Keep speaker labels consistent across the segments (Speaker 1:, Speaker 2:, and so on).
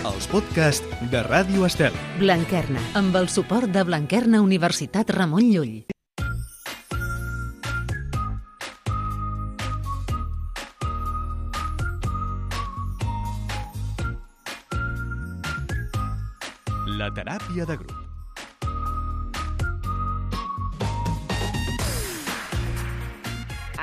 Speaker 1: els podcasts de Ràdio Estel.
Speaker 2: Blanquerna, amb el suport de Blanquerna Universitat Ramon Llull.
Speaker 1: La teràpia de grup.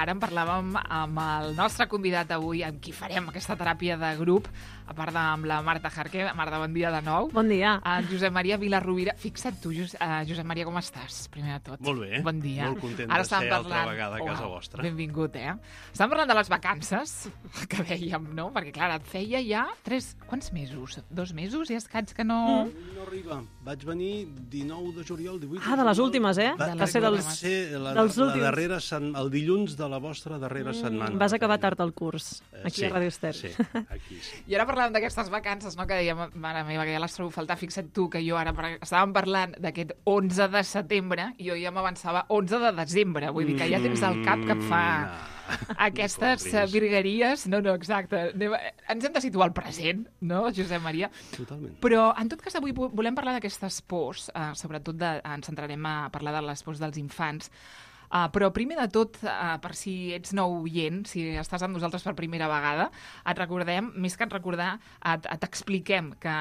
Speaker 3: Ara en parlàvem amb el nostre convidat avui, amb qui farem aquesta teràpia de grup, a part amb la Marta Jarque. Marta, bon dia de nou.
Speaker 4: Bon dia.
Speaker 3: En Josep Maria Vilarrubira. Fixa't tu, Josep Maria, com estàs, primer de tot?
Speaker 5: Molt bé.
Speaker 3: Bon dia.
Speaker 5: Molt content
Speaker 3: Ara
Speaker 5: de ser
Speaker 3: estàvem
Speaker 5: altra vegada a casa vostra.
Speaker 3: Benvingut, Estàvem parlant de les vacances, que dèiem, no? Perquè, clar, et feia ja 3... Quants mesos? 2 mesos i escaig que no...
Speaker 5: No arriba. Vaig venir 19 de juliol, 18 de juliol.
Speaker 4: Ah, de les últimes, eh?
Speaker 5: Va
Speaker 4: ser dels últims.
Speaker 5: La darrera el dilluns de la vostra darrera setmana.
Speaker 4: Vas acabar tard el curs, aquí a Ràdio Estel.
Speaker 5: Sí, aquí sí.
Speaker 3: I ara parlàvem d'aquestes vacances, no?, que dèiem, mare meva, que ja les trobo a faltar. Fixa't tu que jo ara estàvem parlant d'aquest 11 de setembre i jo ja m'avançava 11 de desembre. Vull dir que ja tens el cap que et fa aquestes virgueries. No, exacte. Ens hem de situar al present, no, Josep Maria?
Speaker 5: Totalment.
Speaker 3: Però, en tot cas, avui volem parlar d'aquestes pors, sobretot ens centrarem a parlar de les pors dels infants. Però primer de tot, per si ets nou oient, si estàs amb nosaltres per primera vegada, et recordem, més que et recordar, t'expliquem que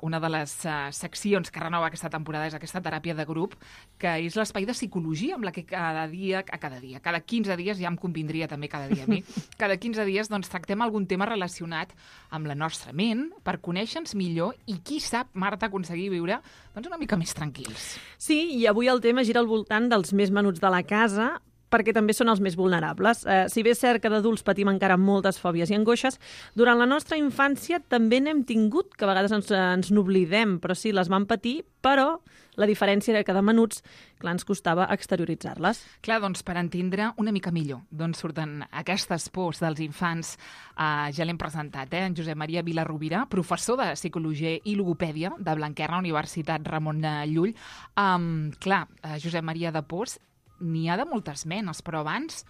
Speaker 3: una de les seccions que renova aquesta temporada és aquesta teràpia de grup, que és l'espai de psicologia amb la que cada 15 dies, ja em convindria també cada dia a mi, cada 15 dies doncs, tractem algun tema relacionat amb la nostra ment per conèixer-nos millor i, qui sap, Marta, aconseguir viure doncs, una mica més tranquils.
Speaker 4: Sí, i avui el tema gira al voltant dels més menuts de la casa, perquè també són els més vulnerables. Si bé és cert que d'adults patim encara moltes fòbies i angoixes, durant la nostra infància també n'hem tingut, que a vegades ens n'oblidem, però sí, les vam patir, però la diferència era que de menuts, clar, ens costava exterioritzar-les.
Speaker 3: Clar, doncs per entendre una mica millor d'on surten aquestes pors dels infants, ja l'hem presentat, en Josep Maria Vilarrubira, professor de Psicologia i Logopèdia de Blanquerna Universitat Ramon Llull. Clar, Josep Maria, de pors n'hi ha de moltes menes, però abans,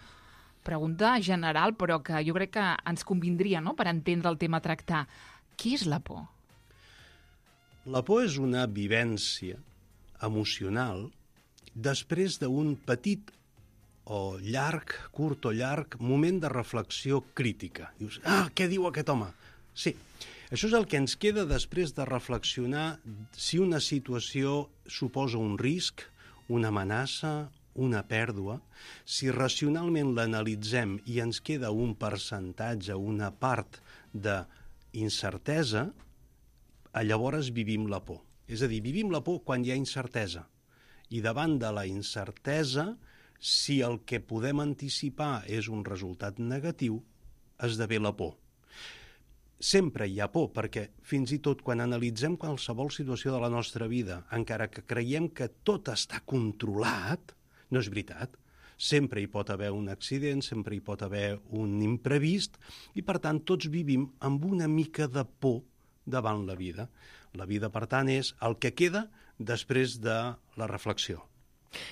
Speaker 3: pregunta general, però que jo crec que ens convindria, no?, per entendre el tema a tractar. Què és la por?
Speaker 5: La por és una vivència emocional després d'un petit o llarg, curt o llarg, moment de reflexió crítica. Dius, què diu aquest home? Sí, això és el que ens queda després de reflexionar si una situació suposa un risc, una amenaça, una pèrdua. Si racionalment l'analitzem i ens queda un percentatge, una part d'incertesa, llavors vivim la por. És a dir, vivim la por quan hi ha incertesa. I davant de la incertesa, si el que podem anticipar és un resultat negatiu, esdevé la por. Sempre hi ha por, perquè fins i tot quan analitzem qualsevol situació de la nostra vida, encara que creiem que tot està controlat, no és veritat. Sempre hi pot haver un accident, sempre hi pot haver un imprevist, i per tant tots vivim amb una mica de por davant la vida. La vida, per tant, és el que queda després de la reflexió.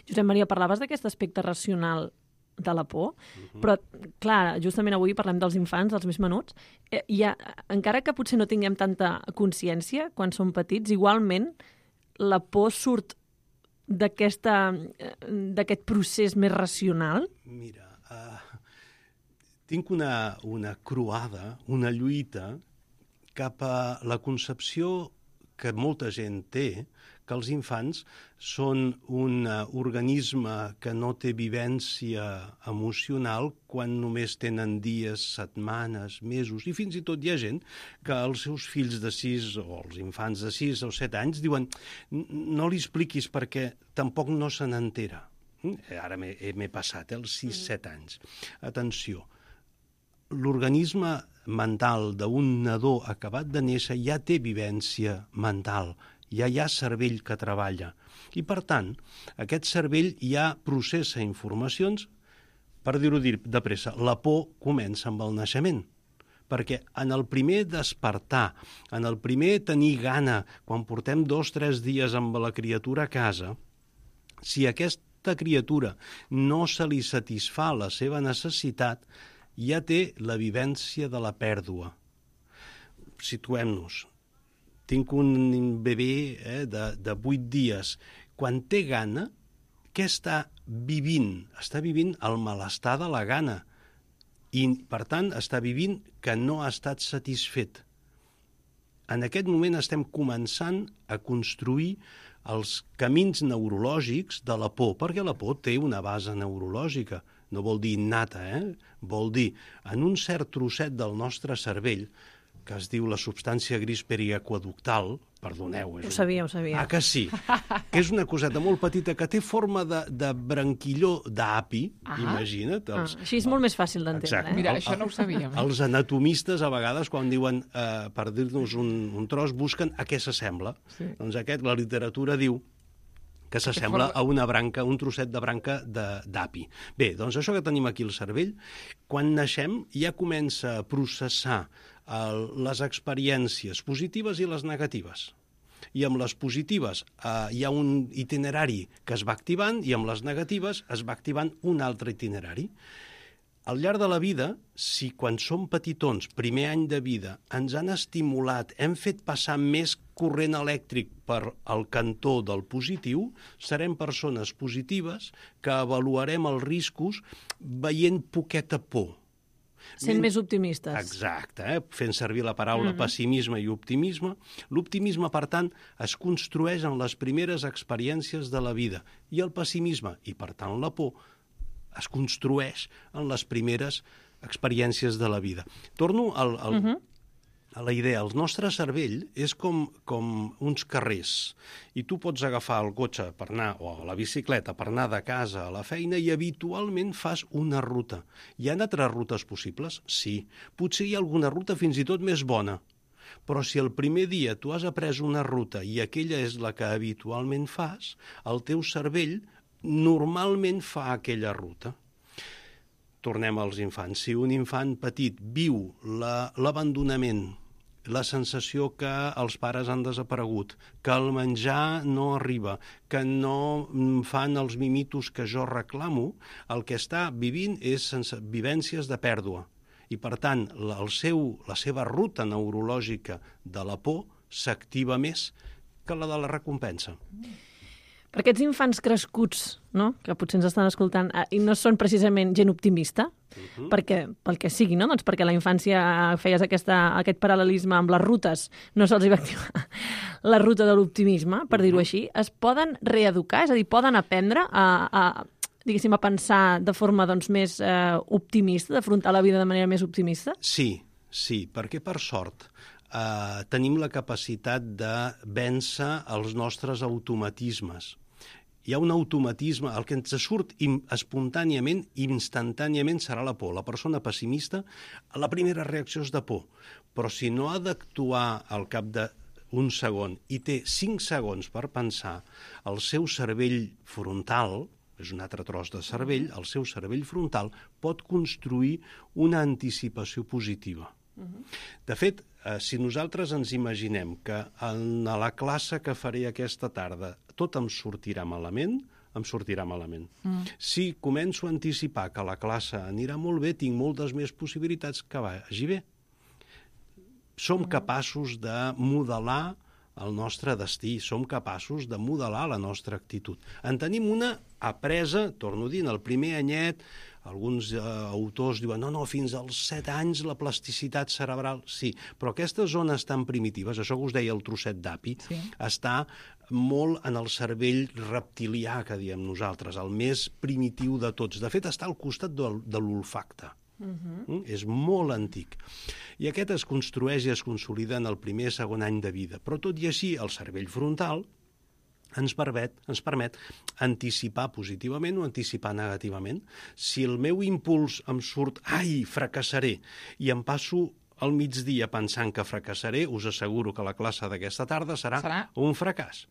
Speaker 4: Josep Maria, parlaves d'aquest aspecte racional de la por, però, clar, justament avui parlem dels infants, dels més menuts, encara que potser no tinguem tanta consciència quan som petits, igualment la por surt d'aquest procés més racional?
Speaker 5: Mira, tinc una croada, una lluita cap a la concepció que molta gent té, que els infants són un organisme que no té vivència emocional quan només tenen dies, setmanes, mesos, i fins i tot hi ha gent que els seus fills de 6 o els infants de 6 o 7 anys diuen no li expliquis perquè tampoc no se n'entera. Ara m'he passat, els 6-7 anys. Atenció, l'organisme mental d'un nadó acabat de néixer ja té vivència mental, ja hi ha cervell que treballa. I, per tant, aquest cervell ja processa informacions, per dir-ho de pressa, la por comença amb el naixement. Perquè en el primer despertar, en el primer tenir gana, quan portem 2-3 dies amb la criatura a casa, si aquesta criatura no se li satisfà la seva necessitat, ja té la vivència de la pèrdua. Situem-nos. tinc un bebè de 8 dies. Quan té gana, què està vivint? Està vivint el malestar de la gana. I, per tant, està vivint que no ha estat satisfet. En aquest moment estem començant a construir els camins neurològics de la por, perquè la por té una base neurològica. No vol dir innata, Vol dir, en un cert trosset del nostre cervell, que es diu la substància gris periaqueductal, perdoneu...
Speaker 4: Ho sabia.
Speaker 5: Ah, que sí? Que és una coseta molt petita que té forma de branquilló d'api, imagina't.
Speaker 4: Així és molt més fàcil d'entendre.
Speaker 3: Mira, això no ho sabíem.
Speaker 5: Els anatomistes, a vegades, quan diuen, per dir-nos un tros, busquen a què s'assembla. Sí. Doncs la literatura diu que s'assembla a una branca, un trosset de branca d'api. Bé, doncs això que tenim aquí al cervell, quan naixem ja comença a processar les experiències positives i les negatives. I amb les positives hi ha un itinerari que es va activant i amb les negatives es va activant un altre itinerari. Al llarg de la vida, si quan som petitons, primer any de vida, ens han estimulat, hem fet passar més corrent elèctric per al cantó del positiu, serem persones positives que avaluarem els riscos veient poqueta por.
Speaker 4: Sent més optimistes.
Speaker 5: Exacte, fent servir la paraula pessimisme i optimisme. L'optimisme, per tant, es construeix en les primeres experiències de la vida i el pessimisme, i per tant la por, es construeix en les primeres experiències de la vida. Torno a la idea. El nostre cervell és com uns carrers i tu pots agafar el cotxe per anar, o la bicicleta per anar de casa a la feina i habitualment fas una ruta. Hi ha altres rutes possibles? Sí. Potser hi ha alguna ruta fins i tot més bona. Però si el primer dia tu has après una ruta i aquella és la que habitualment fas, el teu cervell normalment fa aquella ruta. Tornem als infants. Si un infant petit viu l'abandonament, la sensació que els pares han desaparegut, que el menjar no arriba, que no fan els mimitos que jo reclamo, el que està vivint és vivències de pèrdua. I, per tant, la seva ruta neurològica de la por s'activa més que la de la recompensa.
Speaker 4: Per aquests infants crescuts, no?, que potser ens estan escoltant, i no són precisament gent optimista, perquè, pel que sigui, no? Doncs perquè a la infància feies aquest paral·lelisme amb les rutes, no se'ls va activar la ruta de l'optimisme, per dir-ho així, es poden reeducar, és a dir, poden aprendre a pensar de forma més optimista, d'afrontar la vida de manera més optimista? Sí, perquè per sort tenim la capacitat de vèncer els nostres automatismes. Hi ha un automatisme, el que ens surt espontàniament, instantàniament, serà la por. La persona pessimista, la primera reacció és de por, però si no ha d'actuar al cap d'un segon i té 5 segons per pensar, el seu cervell frontal, és un altre tros de cervell, el seu cervell frontal pot construir una anticipació positiva. De fet, si nosaltres ens imaginem que en la classe que faré aquesta tarda tot em sortirà malament, em sortirà malament. Si començo a anticipar que la classe anirà molt bé, tinc moltes més possibilitats que vagi bé. Som capaços de modelar el nostre destí, som capaços de modelar la nostra actitud. En tenim una apresa, torno a dir, en el primer anyet, alguns autors diuen no, fins als 7 anys la plasticitat cerebral, sí, però aquestes zones tan primitives, això que us deia el trosset d'api, està molt en el cervell reptilià, que diem nosaltres, el més primitiu de tots. De fet, està al costat de l'olfacte. És molt antic. I aquest es construeix i es consolida en el primer i segon any de vida. Però tot i així, el cervell frontal ens permet anticipar positivament o anticipar negativament. Si el meu impuls em surt, fracassaré, i em passo al migdia pensant que fracassaré, us asseguro que la classe d'aquesta tarda serà un fracàs.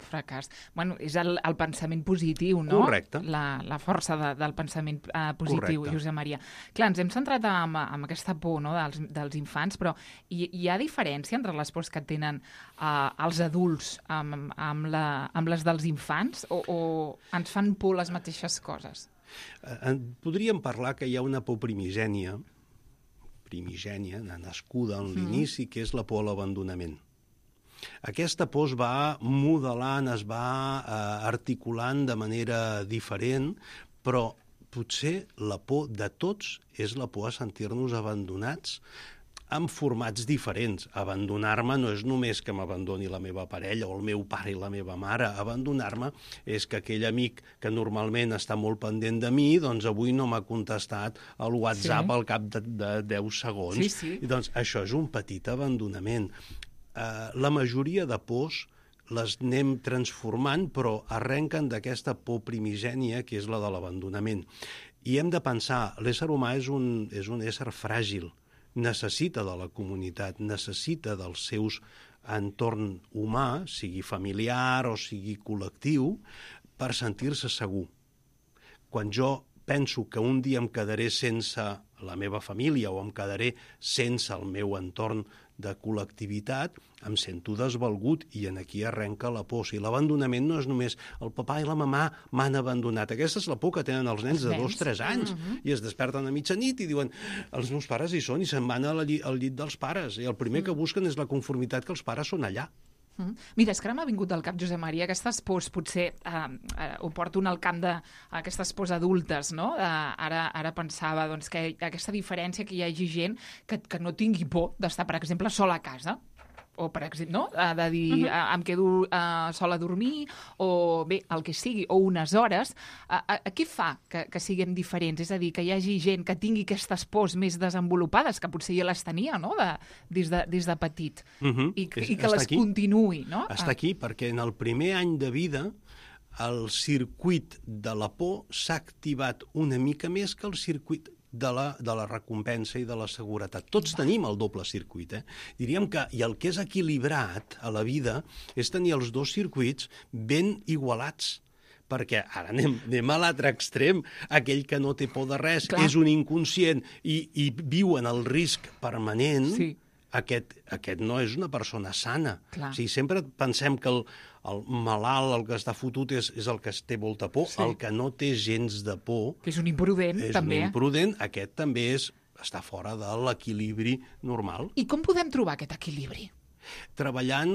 Speaker 3: Bueno, és el pensament positiu, no?
Speaker 5: Correcte.
Speaker 3: La força del pensament positiu,
Speaker 5: correcte.
Speaker 3: Josep Maria. Clar, ens hem centrat en aquesta por, no?, dels infants, però hi ha diferència entre les pors que tenen els adults amb les dels infants o ens fan por les mateixes coses?
Speaker 5: Podríem parlar que hi ha una por primigènia, nascuda en l'inici, que és la por a l'abandonament. Aquesta por es va modelant, es va articulant de manera diferent, però potser la por de tots és la por a sentir-nos abandonats en formats diferents. Abandonar-me no és només que m'abandoni la meva parella o el meu pare i la meva mare. Abandonar-me és que aquell amic que normalment està molt pendent de mi, doncs avui no m'ha contestat al WhatsApp al cap de 10 segons.
Speaker 3: Sí.
Speaker 5: I doncs això és un petit abandonament. La majoria de pors les anem transformant, però arrenquen d'aquesta por primigènia, que és la de l'abandonament. I hem de pensar, l'ésser humà és un ésser fràgil, necessita de la comunitat, necessita dels seus entorn humà, sigui familiar o sigui col·lectiu, per sentir-se segur. Quan jo penso que un dia em quedaré sense la meva família o em quedaré sense el meu entorn de col·lectivitat, em sento desvalgut i en aquí arrenca la por. I l'abandonament no és només el papà i la mamà m'han abandonat. Aquesta és la por que tenen els nens de 2-3 anys i es desperten a mitjanit i diuen els meus pares hi són i se'n van al llit dels pares. I el primer que busquen és la conformitat que els pares són allà.
Speaker 3: Mira, és que ara m'ha vingut al cap, Josep Maria, aquestes pors, potser ho porto al camp d'aquestes pors adultes, no? Ara pensava doncs, que aquesta diferència que hi hagi gent que no tingui por d'estar, per exemple, sola a casa, o, per exemple, no? De dir, em quedo sola a dormir, o bé, el que sigui, o unes hores. Què fa que siguem diferents? És a dir, que hi hagi gent que tingui aquestes pors més desenvolupades, que potser ja les tenia, no?, des de petit, i que les continuï, no?
Speaker 5: Està aquí, perquè en el primer any de vida el circuit de la por s'ha activat una mica més que el circuit de la recompensa i de la seguretat. Tots tenim el doble circuit. Diríem que, i el que és equilibrat a la vida és tenir els dos circuits ben igualats, perquè ara anem a l'altre extrem, aquell que no té por de res, és un inconscient i viu en el risc permanent, aquest no és una persona sana. O sigui, sempre pensem que el malalt, el que està fotut, és el que té molta por. El que no té gens de por...
Speaker 3: Que és un imprudent, també.
Speaker 5: És un imprudent. Aquest també està fora de l'equilibri normal.
Speaker 3: I com podem trobar aquest equilibri?
Speaker 5: Treballant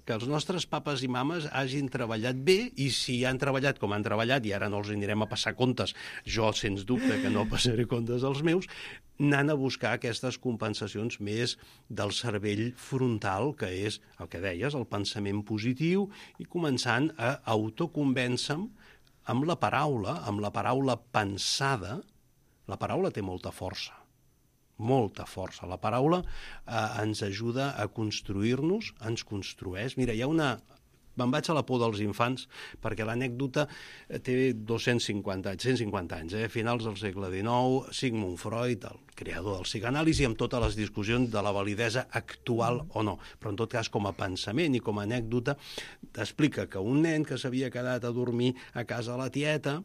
Speaker 5: que els nostres papes i mames hagin treballat bé, i si han treballat com han treballat, i ara no els anirem a passar comptes, jo sens dubte que no passaré comptes als meus, anant a buscar aquestes compensacions més del cervell frontal, que és el que deies, el pensament positiu, i començant a autoconvèncer-me amb la paraula pensada. La paraula té molta força. Molta força. La paraula ens ajuda a construir-nos, ens construeix. Mira, hi ha una... Me'n vaig a la por dels infants, perquè l'anècdota té 150 anys, finals del segle XIX, Sigmund Freud, el creador del psicanàlisi, amb totes les discussions de la validesa actual o no. Però en tot cas, com a pensament i com a anècdota, t'explica que un nen que s'havia quedat a dormir a casa de la tieta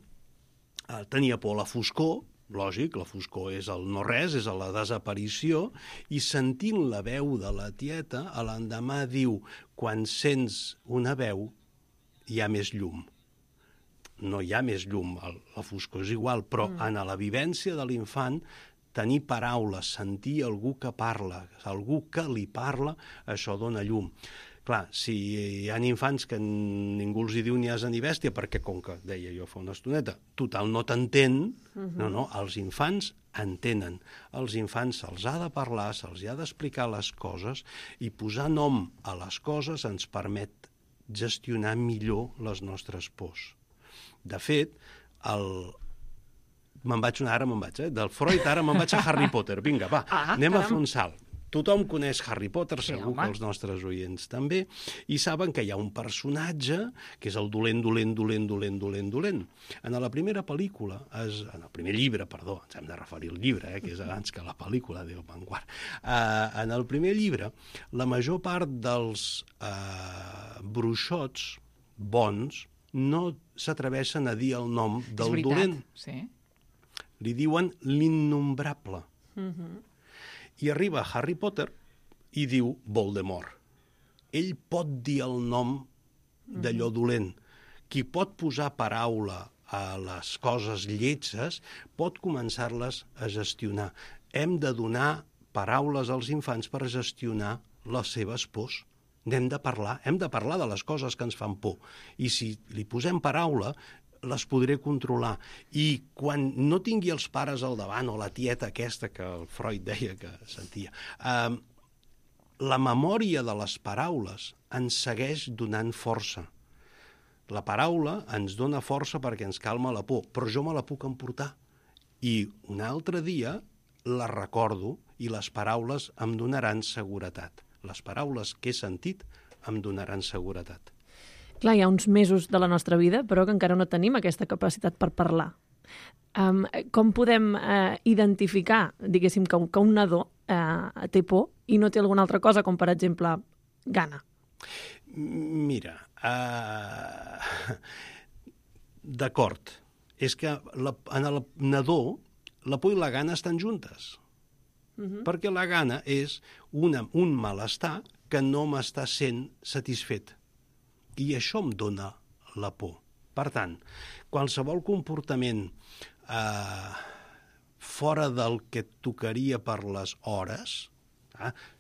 Speaker 5: tenia por a la foscor. Lògic, la foscor és el no-res, és la desaparició, i sentint la veu de la tieta, a l'endemà diu, quan sents una veu, hi ha més llum. No hi ha més llum, la foscor és igual, però en la vivència de l'infant, tenir paraules, sentir algú que parla, algú que li parla, això dona llum. Clar, si hi ha infants que ningú els hi diu ni asa ni bèstia, perquè, com que deia jo fa una estoneta, total no t'entén, no, els infants entenen. Als infants se'ls ha de parlar, se'ls ha d'explicar les coses, i posar nom a les coses ens permet gestionar millor les nostres pors. De fet, del Freud ara me'n vaig a Harry Potter. Vinga, va, anem a fer un salt. Tothom coneix Harry Potter, segur que els nostres oients també, i saben que hi ha un personatge que és el dolent. En la primera pel·lícula, en el primer llibre, perdó, ens hem de referir al llibre, que és abans que la pel·lícula, Déu me'n guard. En el primer llibre, la major part dels bruixots bons no s'atreveixen a dir el nom del dolent. Li diuen l'innombrable. I arriba Harry Potter i diu Voldemort. Ell pot dir el nom d'allò dolent. Qui pot posar paraula a les coses lletges pot començar-les a gestionar. Hem de donar paraules als infants per gestionar les seves pors. N'hem de parlar, hem de parlar de les coses que ens fan por. I si li posem paraula, les podré controlar. I quan no tingui els pares al davant, o la tieta aquesta que el Freud deia que sentia, la memòria de les paraules ens segueix donant força. La paraula ens dona força perquè ens calma la por, però jo me la puc emportar. I un altre dia la recordo i les paraules em donaran seguretat. Les paraules que he sentit em donaran seguretat.
Speaker 4: Clar, hi ha uns mesos de la nostra vida, però que encara no tenim aquesta capacitat per parlar. Com podem identificar, diguéssim, que un nadó té por i no té alguna altra cosa, com per exemple gana?
Speaker 5: Mira, d'acord. És que en el nadó la por i la gana estan juntes. Perquè la gana és un malestar que no m'està sent satisfet. I això em dona la por. Per tant, qualsevol comportament fora del que tocaria per les hores,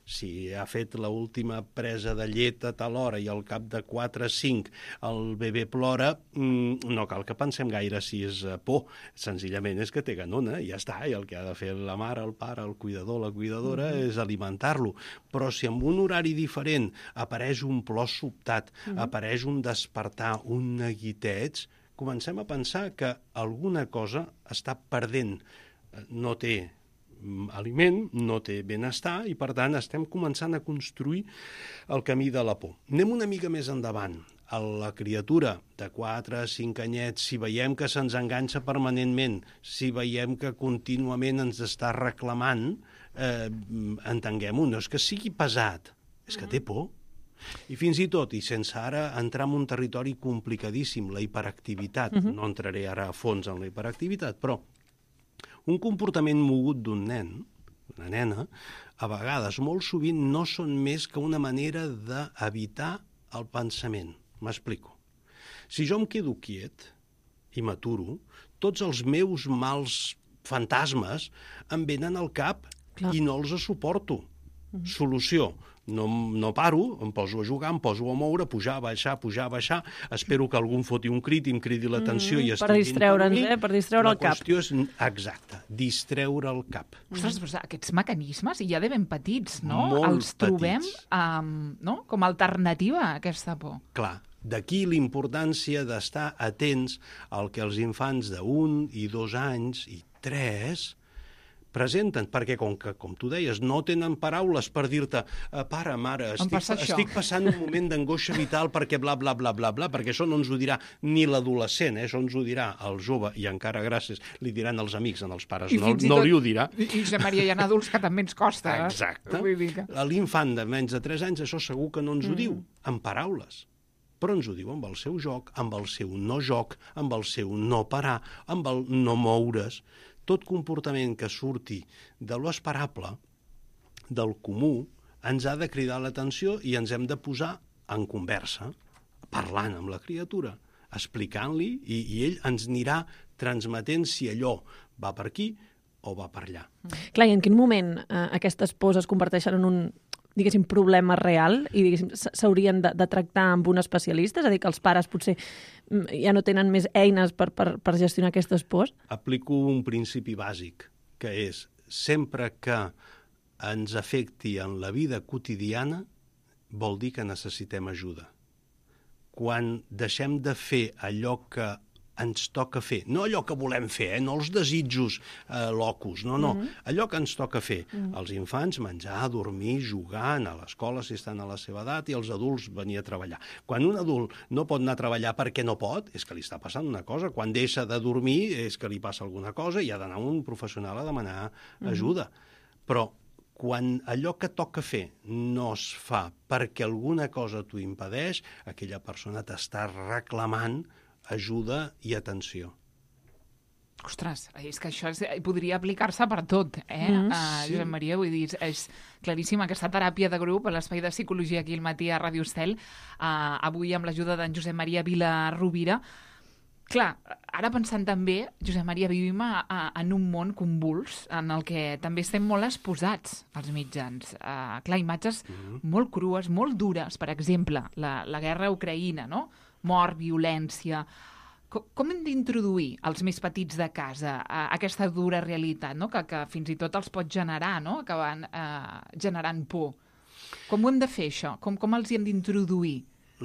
Speaker 5: si ha fet l'última presa de llet a tal hora i al cap de 4 o 5 el bebè plora, no cal que pensem gaire si és por. Senzillament és que té ganona i ja està. I el que ha de fer la mare, el pare, el cuidador, la cuidadora és alimentar-lo. Però si en un horari diferent apareix un plor sobtat, apareix un despertar, un neguiteig, comencem a pensar que alguna cosa està perdent. No té aliment, no té benestar i, per tant, estem començant a construir el camí de la por. Anem una mica més endavant. A la criatura de 4 o 5 anyets, si veiem que se'ns enganxa permanentment, si veiem que contínuament ens està reclamant, entenguem-ho, no és que sigui pesat, és que té por. I fins i tot, i sense ara entrar en un territori complicadíssim, la hiperactivitat, no entraré ara a fons en la hiperactivitat, però un comportament mogut d'un nen, una nena, a vegades, molt sovint, no són més que una manera d'evitar el pensament. M'explico. Si jo em quedo quiet i m'aturo, tots els meus mals fantasmes em venen al cap i no els suporto. Solució. No paro, em poso a jugar, em poso a moure, pujar, baixar, espero que algú em foti un crit i em cridi l'atenció i
Speaker 4: per distreure'ns, per distreure el cap.
Speaker 5: La qüestió és, exacte, distreure el cap.
Speaker 3: Ostres, però aquests mecanismes ja de ben petits, no?
Speaker 5: Molt
Speaker 3: Els trobem com a alternativa a aquesta por.
Speaker 5: Clar, d'aquí la importància d'estar atents al que els infants d'1 i 2 anys i 3 presenten, perquè com tu deies, no tenen paraules per dir-te pare, mare, estic passant un moment d'angoixa vital perquè bla, bla, bla, bla, bla, perquè això no ens ho dirà ni l'adolescent, això ens ho dirà el jove, i encara gràcies li diran els amics, als pares no li ho dirà.
Speaker 3: I Josep Maria, hi ha adults que també ens costa.
Speaker 5: Exacte. L'infant de menys de 3 anys, això segur que no ens ho diu, en paraules. Però ens ho diu amb el seu joc, amb el seu no joc, amb el seu no parar, amb el no moure's. Tot comportament que surti de lo esperable, del comú, ens ha de cridar l'atenció i ens hem de posar en conversa, parlant amb la criatura, explicant-li, i ell ens anirà transmetent si allò va per aquí o va per allà.
Speaker 4: Clar, i en quin moment aquestes pors es converteixen en un, diguéssim, problema real i, diguéssim, s'haurien de tractar amb un especialista? És a dir, que els pares potser ja no tenen més eines per gestionar aquestes pors?
Speaker 5: Aplico un principi bàsic, que és sempre que ens afecti en la vida quotidiana vol dir que necessitem ajuda. Quan deixem de fer allò que ens toca fer, no allò que volem fer, no els desitjos locus, no, allò que ens toca fer. Els infants menjar, dormir, jugar, anar a l'escola si estan a la seva edat i els adults venir a treballar. Quan un adult no pot anar a treballar perquè no pot, és que li està passant una cosa. Quan deixa de dormir és que li passa alguna cosa i ha d'anar a un professional a demanar ajuda. Però quan allò que toca fer no es fa perquè alguna cosa t'ho impedeix, aquella persona t'està reclamant ajuda i atenció.
Speaker 3: Ostres, és que això podria aplicar-se per tot, Josep Maria, vull dir, és claríssima aquesta teràpia de grup a l'Espai de Psicologia aquí al matí a Ràdio Estel, avui amb l'ajuda d'en Josep Maria Vila Rovira. Clar, ara pensant també, Josep Maria, vivim en un món convuls en el que també estem molt exposats als mitjans. Clar, imatges molt crues, molt dures, per exemple, la guerra a Ucraïna, no? Mort, violència. Com hem d'introduir els més petits de casa a aquesta dura realitat, no? que fins i tot els pot generar, no? Acabant generant por? Com ho hem de fer, això? Com els hi hem d'introduir?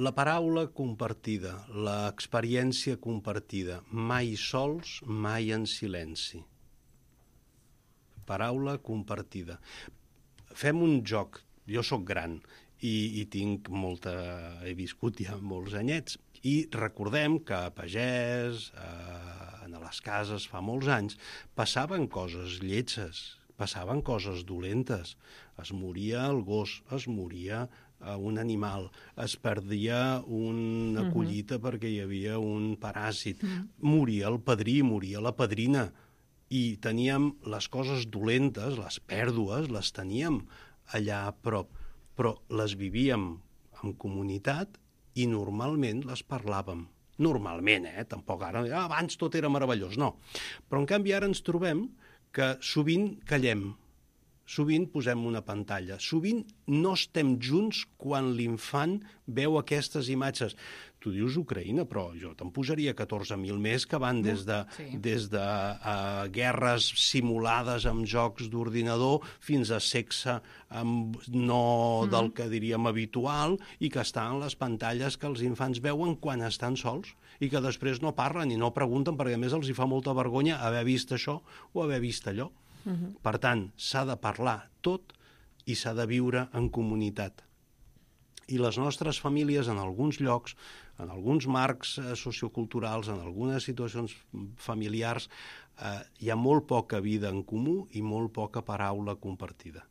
Speaker 5: La paraula compartida, l'experiència compartida, mai sols, mai en silenci. Paraula compartida. Fem un joc. Jo sóc gran i tinc molta... He viscut ja molts anyets. I recordem que a pagès, a les cases, fa molts anys, passaven coses lletges, passaven coses dolentes. Es moria el gos, es moria un animal, es perdia una collita perquè hi havia un paràsit, moria el padrí, moria la padrina, i teníem les coses dolentes, les pèrdues, les teníem allà a prop, però les vivíem en comunitat i normalment les parlàvem. Normalment, tampoc ara, abans tot era meravellós, no. Però en canvi ara ens trobem que sovint callem, sovint posem una pantalla, sovint no estem junts quan l'infant veu aquestes imatges. Tu dius Ucraïna, però jo te'n posaria 14.000 més que van des de guerres simulades amb jocs d'ordinador fins a sexe del que diríem habitual i que estan en les pantalles que els infants veuen quan estan sols i que després no parlen i no pregunten perquè a més els hi fa molta vergonya haver vist això o haver vist allò. Per tant, s'ha de parlar tot i s'ha de viure en comunitat. I les nostres famílies, en alguns llocs, en alguns marcs socioculturals, en algunes situacions familiars, hi ha molt poca vida en comú i molt poca paraula compartida.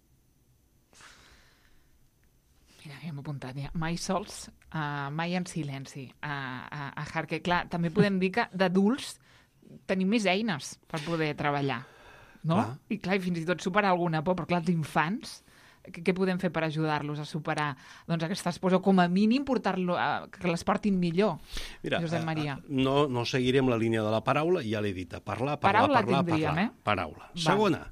Speaker 3: Mira, hem apuntat ja. Mai sols, mai en silenci. A Harque, clar, també podem dir que d'adults tenim més eines per poder treballar. No? I clar, i fins i tot superar alguna por, però clar, els infants, què podem fer per ajudar-los a superar aquestes pors, o com a mínim que les portin millor? Mira, Josep Maria.
Speaker 5: No seguirem la línia de la paraula, ja l'he dit, parlar.
Speaker 3: Paraula tindríem,
Speaker 5: Paraula. Segona,